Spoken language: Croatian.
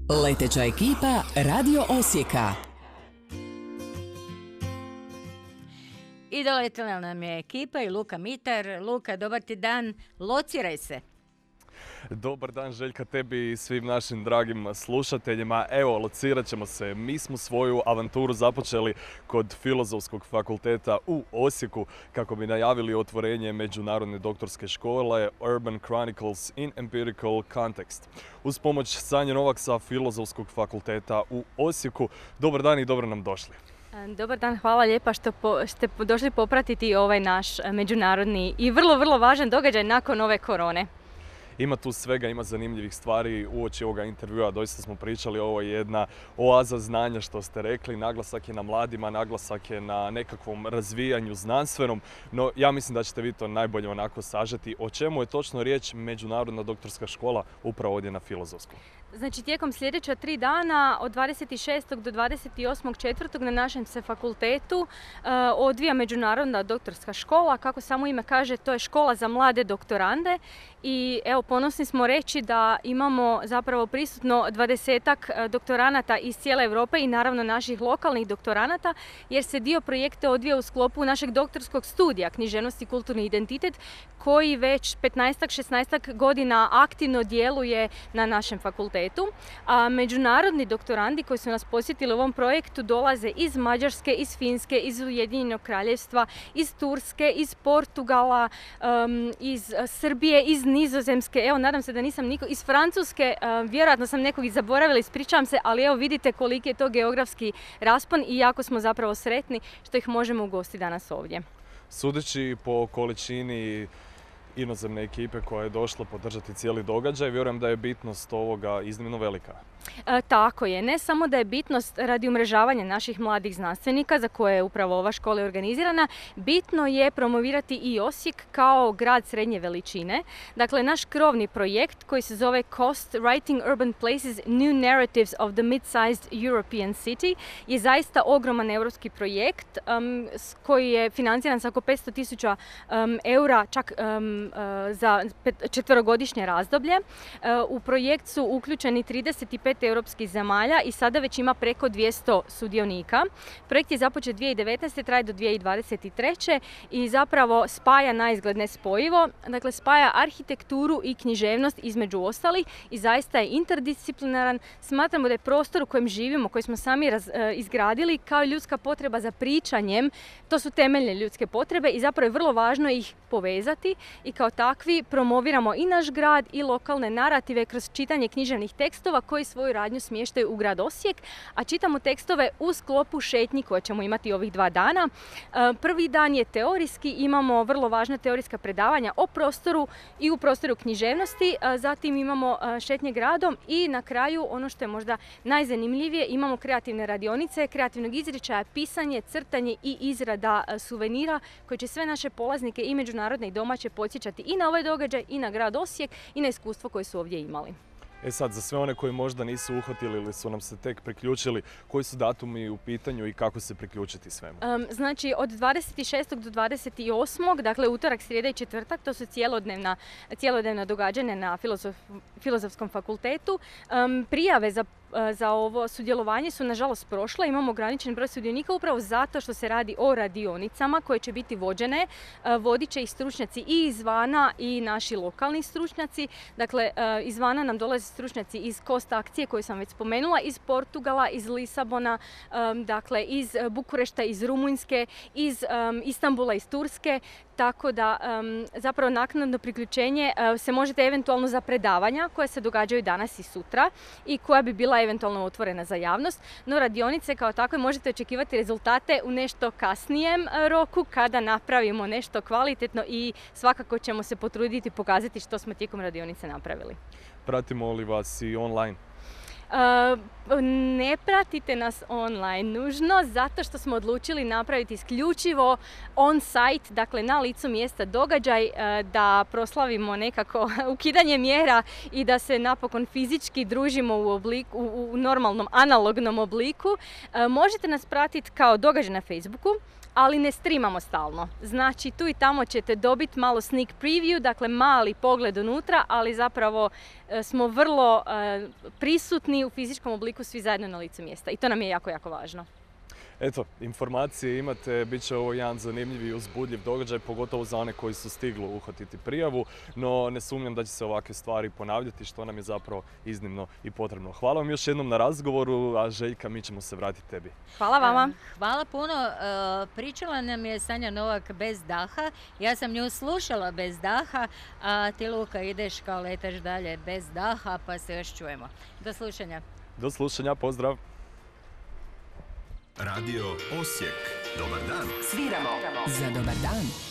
Leteća ekipa Radio Osijeka. I doletila nam je ekipa i Luka Mitar. Luka, dobar ti dan, lociraj se. Dobar dan Željka, tebi i svim našim dragim slušateljima. Evo, locirat ćemo se. Mi smo svoju avanturu započeli kod Filozofskog fakulteta u Osijeku kako bi najavili otvorenje međunarodne doktorske škole Urban Chronicles in Empirical Context. Uz pomoć Sanje Novak sa Filozofskog fakulteta u Osijeku. Dobar dan i dobro nam došli. Dobar dan, hvala lijepa što ste došli popratiti ovaj naš međunarodni i vrlo važan događaj nakon ove korone. Ima tu svega, ima zanimljivih stvari uoči ovoga intervjua. Doista smo pričali, ovo je jedna oaza znanja što ste rekli. Naglasak je na mladima, naglasak je na nekakvom razvijanju znanstvenom. No ja mislim da ćete vi to najbolje onako sažeti. O čemu je točno riječ Međunarodna doktorska škola upravo ovdje na Filozofskom? Znači, tijekom sljedeća 3 dana, od 26. do 28.4. na našem se fakultetu odvija Međunarodna doktorska škola. Kako samo ime kaže, to je škola za mlade doktorande. I evo, ponosni smo reći da imamo zapravo prisutno 20-ak doktoranata iz cijele Europe i naravno naših lokalnih doktoranata, jer se dio projekta odvija u sklopu našeg doktorskog studija Književnost i kulturni identitet, koji već 15-16 godina aktivno djeluje na našem fakultetu. A međunarodni doktorandi koji su nas posjetili u ovom projektu dolaze iz Mađarske, iz Finske, iz Ujedinjenog Kraljevstva, iz Turske, iz Portugala, iz Srbije, iz Nizozemske, evo nadam se da nisam iz Francuske, vjerojatno sam nekog i zaboravila, ispričavam se, ali evo vidite koliki je to geografski raspon i jako smo zapravo sretni što ih možemo ugostiti danas ovdje. Sudeći po količini inozemne ekipe koja je došla podržati cijeli događaj, vjerujem da je bitnost ovoga iznimno velika. Tako je, ne samo da je bitnost radi umrežavanja naših mladih znanstvenika za koje je upravo ova škola organizirana, bitno je promovirati i Osijek kao grad srednje veličine. Dakle, naš krovni projekt koji se zove Cost Writing Urban Places New Narratives of the Mid-Sized European City je zaista ogroman europski projekt koji je financiran sa oko 500.000 eura čak za 4-godišnje razdoblje. U projekt su uključeni 35 europskih zemalja i sada već ima preko 200 sudionika. Projekt je započet 2019. traje do 2023. i zapravo spaja naizgled nespojivo. Dakle, spaja arhitekturu i književnost između ostalih i zaista je interdisciplinaran. Smatramo da je prostor u kojem živimo, koji smo sami izgradili, kao i ljudska potreba za pričanjem, to su temeljne ljudske potrebe i zapravo je vrlo važno ih povezati i kao takvi promoviramo i naš grad i lokalne narative kroz čitanje književnih tekstova koji svoju radnju smještaju u grad Osijek, a čitamo tekstove u sklopu šetnji koje ćemo imati ovih 2 dana. Prvi dan je teorijski, imamo vrlo važna teorijska predavanja o prostoru i u prostoru književnosti, zatim imamo šetnje gradom i na kraju, ono što je možda najzanimljivije, imamo kreativne radionice, kreativnog izričaja, pisanje, crtanje i izrada suvenira koji će sve naše polaznike i međunarodne i domaće podsjećati i na ovaj događaj i na grad Osijek i na iskustvo koje su ovdje imali. E sad, za sve one koji možda nisu uhvatili ili su nam se tek priključili, koji su datumi u pitanju i kako se priključiti svemu? Znači, od 26. do 28. dakle utorak, srijeda i četvrtak, to su cjelodnevna događanja na Filozofskom fakultetu. Prijave za ovo sudjelovanje su nažalost prošle, imamo ograničen broj sudionika upravo zato što se radi o radionicama koje će biti vođene. Vodit će ih stručnjaci i izvana i naši lokalni stručnjaci. Dakle, izvana nam dolaze stručnjaci iz Cost akcije koju sam već spomenula, iz Portugala, iz Lisabona, dakle iz Bukurešta, iz Rumunjske, iz Istanbula, iz Turske. Tako da zapravo naknadno priključenje se možete eventualno za predavanja koje se događaju danas i sutra i koja bi bila eventualno otvorena za javnost. No radionice kao takve možete očekivati rezultate u nešto kasnijem roku kada napravimo nešto kvalitetno i svakako ćemo se potruditi pokazati što smo tijekom radionice napravili. Pratimo li vas i online? Ne pratite nas online nužno, zato što smo odlučili napraviti isključivo on-site, dakle na licu mjesta događaj, da proslavimo nekako ukidanje mjera i da se napokon fizički družimo u normalnom analognom obliku. Možete nas pratiti kao događaj na Facebooku, ali ne streamamo stalno. Znači tu i tamo ćete dobiti malo sneak preview, dakle mali pogled unutra, ali zapravo smo vrlo prisutni u fizičkom obliku svi zajedno na licu mjesta i to nam je jako, jako važno. Eto, informacije imate, bit će ovo jedan zanimljiv i uzbudljiv događaj, pogotovo za one koji su stigli uhvatiti prijavu, no ne sumnjam da će se ovakve stvari ponavljati, što nam je zapravo iznimno i potrebno. Hvala vam još jednom na razgovoru, a Željka, mi ćemo se vratiti tebi. Hvala vama. Hvala puno. Pričala nam je Sanja Novak bez daha. Ja sam nju slušala bez daha, a ti, Luka, ideš kao letaš dalje bez daha, pa se još čujemo. Do slušanja. Do slušanja, pozdrav! Radio Osijek. Dobar dan. Sviramo za dobar dan.